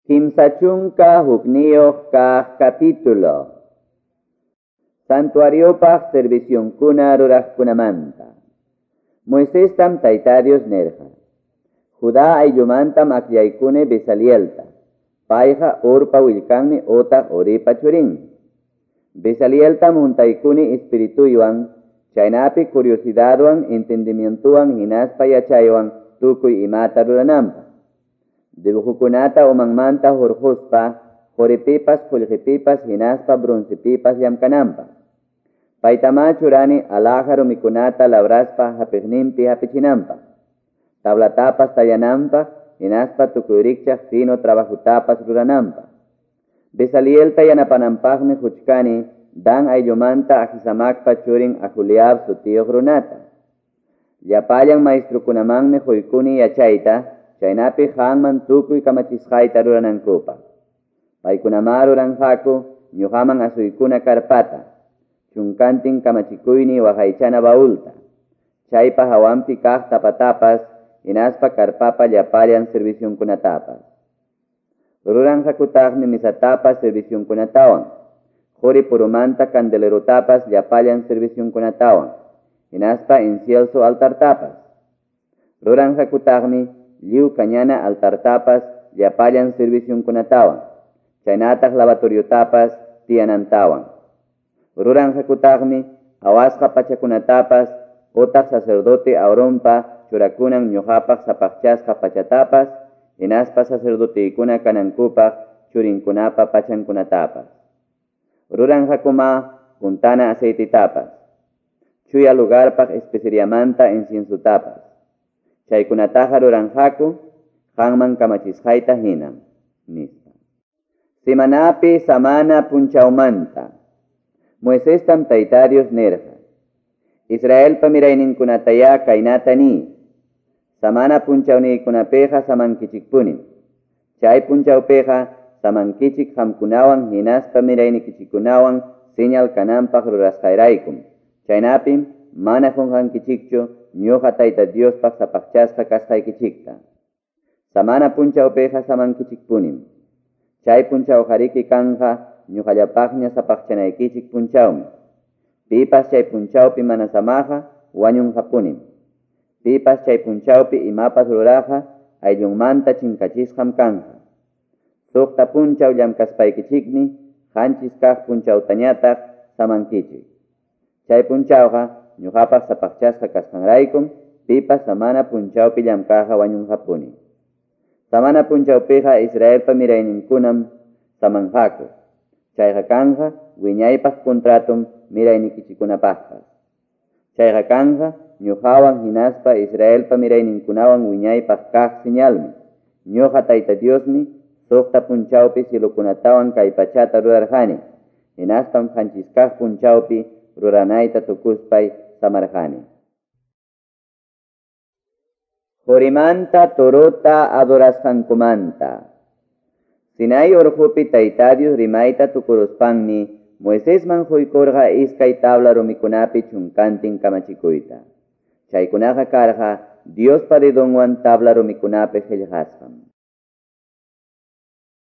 31 kaq capítulo. Santuariopaq servicionkuna ruraqkunamanta. Moiséstam Tayta Dios nerqa. Judá ayllumantam akllaykuni Bezalielta. Payqa Urpa willkanmi utaq Uripa churinmi. Bezalieltam huntaykuni espirituywan, chaynapi curiosidadwan, entendimientowan hinaspa yachaywan tukuy imata rurananpaq. Dibujokunata umanmanta hurquspa, quripipas, qullqipipas hinaspa broncepipas llamkananpaq. Paytamá churani alhaja rumikunata labraspa hapiqninpi hapichinanpaq. Tablatapas tallananpaq hinaspa tukuy rikchaq fino trabajutapas rurananpaq. Bezalielta yanapananpaqmi huchkani Dan ayllumanta Ahisamacpa churin Aholiab sutiyuq runata. Llapallan maestrukunamanmi huykuni yachayta, chaynapi qanman tukuy kamachisqayta ruranankupaq. Paykunamá ruranqaku ñuqaman asuykuna karpata, chunkantin kamachikuyni waqaychana baulta, chaypa hawanpi kaq tapatapas, hinaspa karpapa llapallan servicionkunatapas. Ruranqakutaqmi misatapas servicionkunatawan, quri purumanta candelerotapas llapallan servicionkunatawan, hinaspa incienso altartapas. Ruranqakutaqmi lliw kañana altartapas llapallan servicionkunatawan, chaynataq lavatoriotapas tiyanantawan. Ruranqakutaqmi awasqa pachakunatapas utaq sacerdote Aaronpa churakunan ñuqapaq sapaqchasqa pachatapas, hinaspa sacerdoteykuna kanankupaq churinkunapa pachankunatapas. Ruranqakuma puntana aceitetapas, chuya lugarpaq especeriamanta inciensotapas. Chaykunataqa ruranqaku qanman kamachisqayta hinam, nispa. Semanapi samana punchawmanta. Moiséstam Tayta Dios nirqa: Israelpa mirayninkunatayá kaynata niy. Samana punchawniykunapiqa samankichikpunim. Chay punchawpiqa samankichik qamkunawan hinaspa miraynikichikkunawan señal kananpaq rurasqayraykum. Chaynapim mana qunqankichikchu ñuqa Tayta Diospaq sapaqchasqa kasqaykichikta. Samana punchawpiqa samankichikpunim. Chay punchawqariki kanqa ñuqallapaqña sapaqchanaykichik punchawmi. Pipas chay punchawpi mana samaqa wañunqapunim. Pipas chay punchawpi imapas ruraqa ayllunmanta chinkachisqam kanqa. Suqta punchaw llamkaspaykichikmi qanchis kaq punchawtañataq samankichik. Chay punchawqa ñuqapaq sapaqchasqa kasqanraykum pipas samana punchawpi llamkaqqa wañunqapuni. Samana punchawpiqa Israelpa mirayninkunam samanqaku. Chayqa kanqa wiñaypaq contratum miraynikichikunapaqpas. Chayqa kanqa ñuqawan hinaspa Israelpa mirayninkunawan wiñaypaq kaq señalmi. Ñuqa Tayta Diosmi suqta punchawpi cielokunatawan kay pachata rurarqani. Hinaspam qanchis kaq punchawpi ruranayta tukuspay samarqani. Qorimanta torota adorasqankumanta. Sinai urqupi Tayta Dios rimayta tukuruspanmi Moisésman huykurqa iskay tabla rumikunapi chunkantin kamachikuyta. Chaykunaqa karqa Diospa dedonwan tabla rumikunapi qillqasqam.